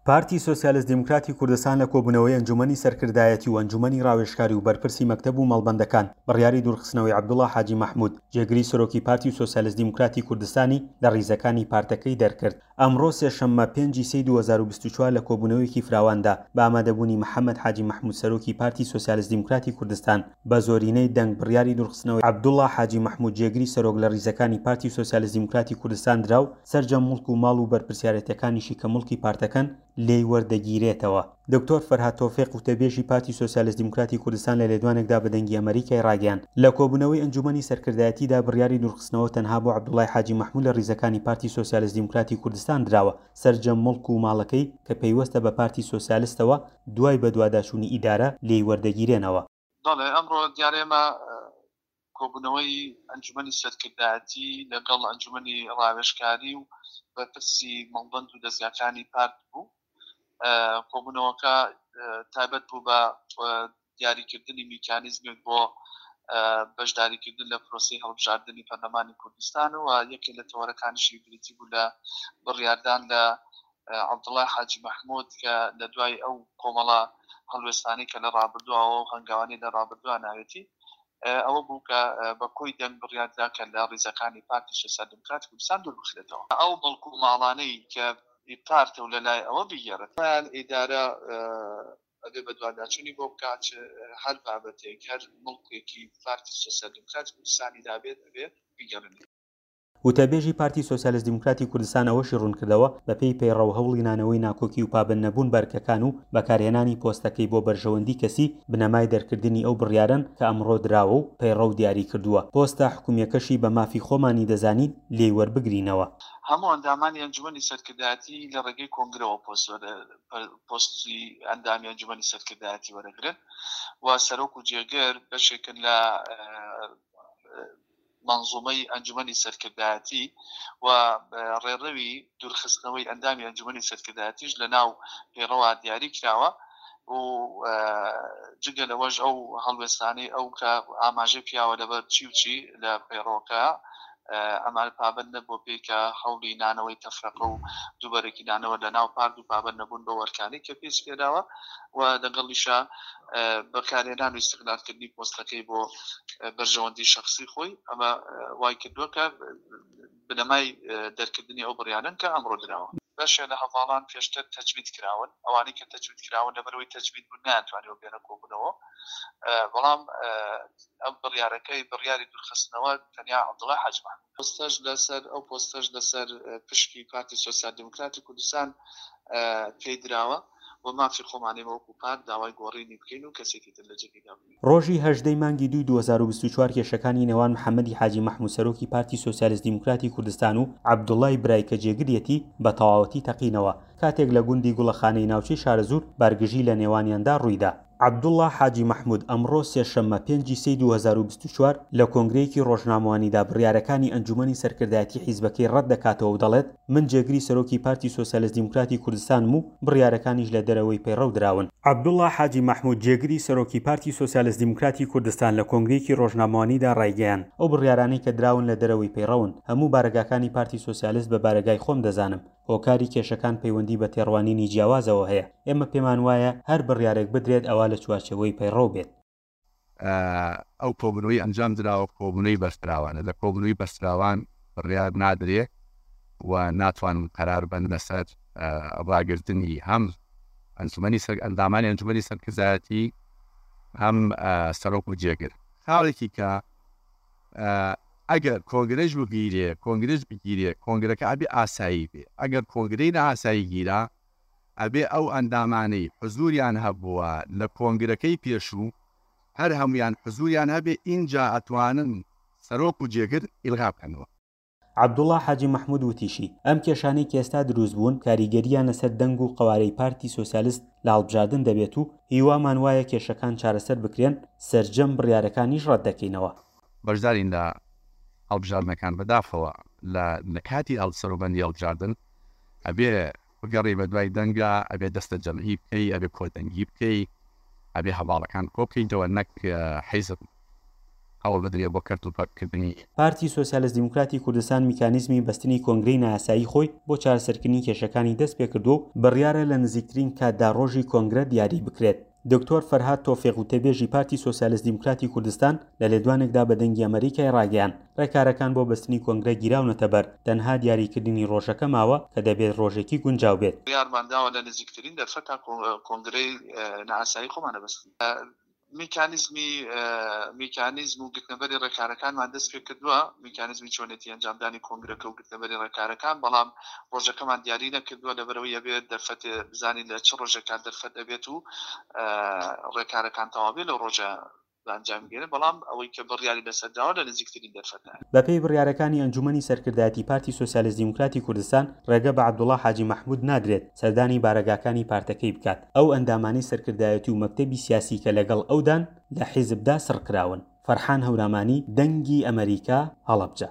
پارتی سۆسیالست دیموکراتی کوردستان لە کۆبوونەوەی ئەنجوومەنی سەرکردایەتی و ئەنجوومەنی ڕاوێژکاری و بەرپرسی مەکتەب و مەڵبەندەکان بڕیاری دوورخستنەوەی عەبدوڵا حاجی مەحموود جێگری سەرۆکی پارتی سۆسیالست دیموکراتی کوردستانی لە ڕیزەکانی پارتەکەی دەرکرد. ئەمڕۆ سێشەممە پێنج ی سێی 2024 لە کۆبوونەوەیەکی فراواندا بە ئامادەبوونی محەمەد حاجی مەحموود سەرۆکی پارتی سۆسیالست دیموکراتی کوردستان بە زۆرینەی دەنگ بڕیاری دوورخستنەوەی عەبدوڵا حاجی مەحموود جێگری سەرۆک لە ڕیزەکانی پارتی سۆسیالست دیموکراتی کوردستان درا و سەرجەم موڵک و ماڵ و بەرپرسیارێتیەکانیشی کە موڵکی پارتەکەن لێی وەردەگیرێتەوە. دکتۆر فەرهاد تۆفیق وتەبێژی پارتی سۆسیالست دیموکراتی کوردستان لە لێدوانێکدا بە دەنگی ئەمەریکای ڕاگەیاند، لە کۆبوونەوەی ئەنجوومەنی سەرکردایەتیدا بڕیاری دوورخستنەوە تەنها بۆ عەبدوڵای حاجی مەحموود لە ڕیزەکانی پارتی سۆسیالست دیموکراتی کوردستان دراوە، سەرجەم موڵک و ماڵەکەی کە پەیوەستە بە پارتی سۆسیالستەوە دوای بەدواداچوونی ئیدارە لێی وەردەگیرێنەوە. بەڵێ ئەمڕۆ دیارە ئێمە کۆبوونەوەی ئەنجومەنی سەرکردایەتی لەگەڵ ئەنجومەنی ڕاوێژکاری و بەرپرسی مەڵبەند و دەزگاکانی پارت بوو. کۆبوونەوەکە تایبەت بوو بە دیاریکردنی میکانیزمێک بۆ بەشداریکردن لە پرۆسەی هەڵبژاردنی پەرلەمانی کوردستان و یەکێک لە تەوەرەکانیشی بریتی بوو لە بڕیاردان لە عەبدوڵای حاجی مەحمود کە لە دوای ئەو کۆمەڵە هەڵوێستانەی کە لە ڕابردووەوە و هەنگاوانەی لە ڕابردووە ناوێتی ئەوە بوو کە بە کۆی دەنگ بڕیاردرا کە لە ڕیزەکانی پارتی سۆسیال دیموکراتی کوردستان دوور بخرێتەوە. ئەو موڵک و ماڵانەی کە ئی پارتە و لە لای ئەوە بیگێڕێت. خۆیان ئیدارە ئەبێ بەدواداچوونی بۆ بکات، هەر بابەتێک، هەر موڵکێکی پارتی سۆسیال دیموکراتی کوردستانی دابێت ئەبێ بیگەڕێنێتەوە. وتەبێژی پارتی سۆسیالست دیموکراتی کوردستان ئەوەشی ڕوونکردەوە، بەپێی پەیڕەو هەوڵی نانەوەی ناکۆکی و پابەندنەبوون بە ئەرکەکان و بەکارهێنانی پۆستەکەی بۆ بەرژەوەندی کەسی، بنەمای دەرکردنی ئەو بڕیارەن کە ئەمڕۆ دراوە و پەیڕەو دیاری کردووە، پۆستە حکومییەکەشی بە مافی خۆمانی دەزانین لێی وەربگرینەوە. هەموو ئەندامانی ئەنجومەنی سەرکردایەتی لە ڕێگەی کۆنگرەوە پۆستی ئەندامی ئەنجومەنی سەرکردایەتی وەرەگرن و سەرۆک و جێگر بەشێکن لە مەنزومەی ئەنجومەنی سەرکردایەتی و ڕێڕەوی دوورخستنەوەی ئەندامی ئەنجومەنی سەرکردایەتیش لە ناو پەیڕەوە دیاری کراوە و جگە لەوەش ئەو هەڵوێستانەی ئەو کە ئاماژەی پیاوە لەبەر چی و چی لە پەیڕەوەکە ئەمان پابەند نەبووە پێی کە هەوڵی نانەوەی تەفرەقە و دووبەرەکی نانەوە لە ناو پارت و پابەند نەبوون بەو ئەرکانەی کە پێی سپێراوە و لەگەڵیشا بەکارهێنان و ئیستغلالکردنی پۆستەکەی بۆ بەرژەوەندی شەخسی خۆی، ئەمە وای کردووە کە بنەمای دەرکردنی ئەو بڕیارەن کە ئەمڕۆ دراوە. بەشێ لە هەڤاڵان پێشتر تەجمید کراون، ئەوانەی کە تەجمید کراون لەبەرئەوەی تەجمید بوون نەیانتوانیوە بێنە کۆبوونەوە، بەڵام ئەم بڕیارەکەی بڕیاری دوورخستنەوە تەنیا عەبدوڵای حاجی مەحموود. پۆستەش لەسەر ئەو پۆستەش لەسەر پشکی پارتی سۆسیال دیموکراتی کوردستان پێی دراوە و مافی خۆمانە ئێمە وەکو پارت داوای گۆڕینی بکەین و کەسێکی تر لە جێگەی دابنێین. ڕۆژی هەژدەی مانگی دووی 2024 کێشەکانی نێوان محەمەدی حاجی مەحموود سەرۆکی پارتی سۆسیالست دیموکراتی کوردستان و عەبدوڵای برای کە جێگریەتی بە تەواوەتی تەقینەوە کاتێک لە گوندی گوڵەخانەی ناوچەی شارەزوور بارگژی لە نێوانیاندا ڕوویدا. عەبدوڵڵا حاجی مەحمود ئەمڕۆ سێشەممە پێنجی سێی 2024 لە کۆنگرەیەکی ڕۆژنامەوانیدا بڕیارەکانی ئەنجومەنی سەرکردایەتی حیزبەکەی ڕەت دەکاتەوە و دەڵێت، من جێگری سەرۆکی پارتی سۆسیالست دیموکراتی کوردستانم و بڕیارەکانیش لە دەرەوەی پەیڕەو دراون. عەبدوڵڵا حاجی مەحمود جێگری سەرۆکی پارتی سۆسیالست دیموکراتی کوردستان لە کۆنگرەیەکی ڕۆژنامەوانیدا ڕایگەیاند، ئەو بڕیارانەی کە دراون لە دەرەوەی پەیڕەون، هەموو بارەگاکانی پارتی سۆسیالست بە بارەگای خۆم دەزانم، هۆکاری کێشەکان پەیوەندی بە تێڕوانینی جیاوازەوە هەیە، ئێمە پێمان وایە هەر بڕیارێک بدرێت ئەوا لە چوارچێوەی پەیڕەو بێت. ئەو کۆبوونەوەی ئەنجام دراوە کۆبوونەوەی بەستراوانە، لە کۆبوونەوەی بەستراوان بڕیار نادرێ و ناتوانن قەرار بەن لەسەر ڕاگرتنی هەم ئەنجومەنی سەر ئەندامانی ئەنجومەنی سەرکردایەتی هەم سەرۆک و جێگر. خاڵێکی کە ئەگەر کۆنگرەش بگیرێ کۆنگرەش بگیرێ کۆنگرەکە ئەبێ ئاسایی بێ ئەگەر کۆنگرەی نائاسایی گیرا ئەبێ ئەو ئەندامانەی حزوریان هەبووە لە کۆنگرەکەی پێشوو هەر هەموویان حزوریان هەبێ ئینجا ئەتوانن سەرۆک و جێگر ئیلغا بکەنەوە. عەبدوڵا حاجی مەحمود وتیشی، ئەم کێشانەی کە ئێستا دروست بوون کاریگەرییان لەسەر دەنگ و قەوارەی پارتی سۆسیالست لە هەڵبژاردن دەبێت و هیوامان وایە کێشەکان چارەسەر بکرێن، سەرجەم بڕیارەکانیش ڕەتدەکەینەوە. بەشدارین لە هەڵبژاردنەکان، بەداخەوە لە لە کاتی سەروبەندی هەڵبژاردن ئەبێ بگەڕێی بەدوای دەنگا، ئەبێ دەستە جەمعی بکەی، ئەبێ کۆدەنگی بکەی، ئەبێ هەڤاڵەکان کۆبکەیتەوە نەک حیزب. هەوڵ بدرێ بۆ کەرت و پەرتکردنی. پارتی سۆسیالست دیموکراتی کوردستان میکانیزمی بەستنی کۆنگرەی نایاسایی خۆی بۆ چارەسەرکردنی کێشەکانی دەستپێکردووە و بڕیارە لە نزیکترین کاتدا ڕۆژی کۆنگرە دیاری بکرێت. دکتۆر فەرهاد تۆفیق وتەبێژی پارتی سۆسیالست دیموکراتی کوردستان لە لێدوانێکدا بە دەنگی ئەمەریکای ڕاگەیاند، ڕێکارەکان بۆ بەستنی کۆنگرە گیراونەتە بەر، تەنها دیاریکردنی ڕۆژەکە ماوە کە دەبێت ڕۆژێکی گونجاو بێت. بڕیارمان داوە لە نزیکترین دەرفەتا کۆنگرەی نائاسایی خۆمان ئەبەستین. میکانیزمی میکانیزم و گرتنەبەری ڕێکارەکانمان دەست پێ کردووە، میکانیزمی چۆنێتی ئەنجامدانی کۆنگرەکە و گرتنەبەری ڕێکارەکان، بەڵام ڕۆژەکەمان دیاری نەکردووە لەبەرئەوەی ئەبێت دەرفەتێ بزانین لە چ ڕۆژێکا دەرفەت ئەبێت و ڕێکارەکان تەواو بێت لەو ڕۆژە بە ئەنجامی گەێنن، بەڵام ئەوەی کە بڕیاری لەسەر دراوە لە نزیکترین دەرفەتدایە. بەپێی بڕیارەکانی ئەنجوومەنی سەرکردایەتی پارتی سۆسیالست دیموکراتی کوردستان، ڕێگە بە عەبدوڵا حاجی مەحموود نادرێت سەردانی بارەگاکانی پارتەکەی بکات، ئەو ئەندامانەی سەرکردایەتی و مەکتەبی سیاسی کە لەگەڵ ئەودان لە حیزبدا سڕکراون. فەرحان هەورامانی، دەنگی ئەمەریکا، هەڵەبجە.